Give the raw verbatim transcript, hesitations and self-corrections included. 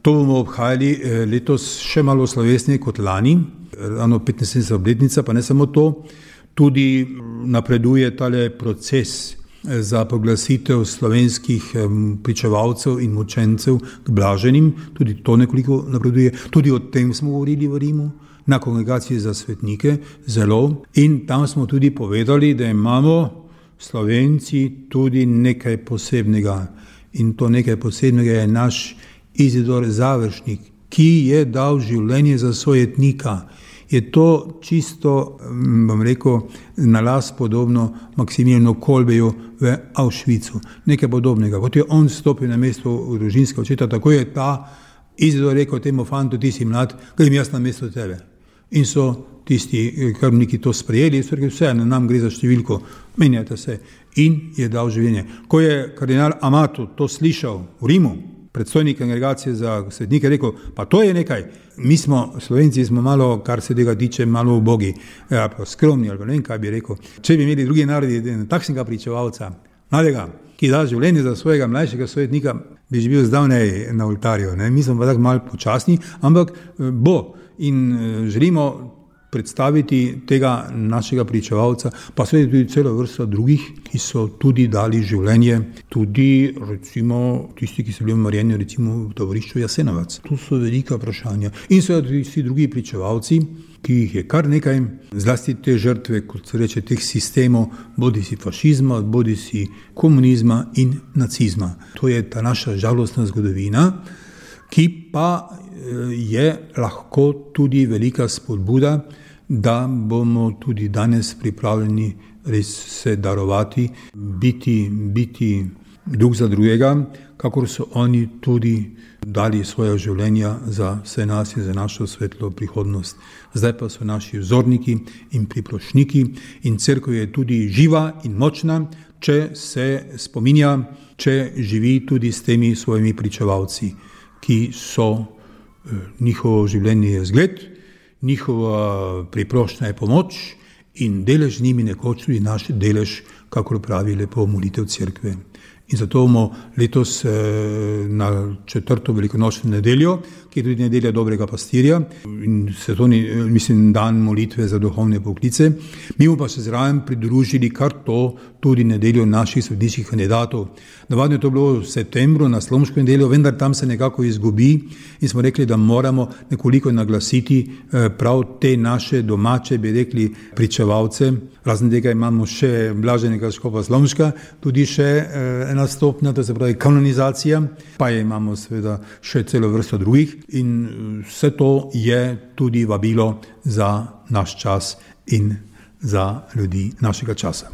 To bomo obhajali letos še malo slovesneje kot lani, ravno petnajstdeseta obletnica, pa ne samo to, tudi napreduje tale proces za proglasitev slovenskih pričevalcev in mučencev k blaženim, tudi to nekoliko napreduje, tudi o tem smo govorili v Rimu, na kongregaciji za svetnike, zelo, in tam smo tudi povedali, da imamo Slovenci tudi nekaj posebnega, in to nekaj posebnega je naš Izidor Završnik, ki je dal življenje za sojetnika. Je to čisto, bom rekel, na las podobno Maksimiljanu Kolbeju v Auschwitzu. Nekaj podobnega. Kot je on stopil na mesto družinskega očeta, tako je ta Izidor rekel temu fantu, ti si mlad, grem jaz na mesto tebe. In so tisti krvniki to sprejeli, so rekli, vse, na nam gre za številko, menjate se. In je dal življenje. Ko je kardinal Amato to slišal v Rimu, predstojnik kongregacije za svetnike, rekel, pa to je nekaj, mi smo, Slovenci smo malo, kar se tega tiče, malo ubogi, ja, pa skromni, ali ne vem, kaj bi rekel. Če bi imeli drugi narodi takšnega pričevalca, mladega, ki da življenje za svojega mlajšega svetnika, bi že bil zdavnej na oltarju. Ne? Mi smo pa tako malo počasni, ampak bo in želimo predstaviti tega našega pričevalca, pa seveda tudi celo vrsto drugih, ki so tudi dali življenje, tudi recimo tisti, ki so bili umorjeni recimo v tovarišču Jasenovac. Tu so velika vprašanja. In seveda tudi vsi drugi pričevalci, ki jih je kar nekaj, zlasti te žrtve, kot se reče, teh sistemov, bodi si fašizma, bodi si komunizma in nacizma. To je ta naša žalostna zgodovina, ki pa je lahko tudi velika spodbuda, da bomo tudi danes pripravljeni res se darovati, biti, biti drug za drugega, kakor so oni tudi dali svoje življenja za vse nas in za našo svetlo prihodnost. Zdaj pa so naši vzorniki in priprošniki in cerkev je tudi živa in močna, če se spominja, če živi tudi s temi svojimi pričevalci, ki so njihovo življenje je zgled, njihova priprošnja je pomoč in delež z njimi nekoč tudi naš delež, kakor pravi lepo molitev cerkve. In zato bomo letos na četrto velikonočno nedeljo, ki je tudi nedelja dobrega pastirja in svetovni, mislim, dan molitve za duhovne poklice, mi bomo pa se zraven pridružili kar to tudi nedeljo naših svetniških kandidatov. Navadno je to bilo v septembru na Slomško nedeljo, vendar tam se nekako izgubi in smo rekli, da moramo nekoliko naglasiti prav te naše domače, bi rekli, pričevalce. Razen tega imamo še blaženega škofa Slomška, tudi še ena stopnja, to se pravi kanonizacija, pa imamo seveda še celo vrsto drugih in vse to je tudi vabilo za naš čas in za ljudi našega časa.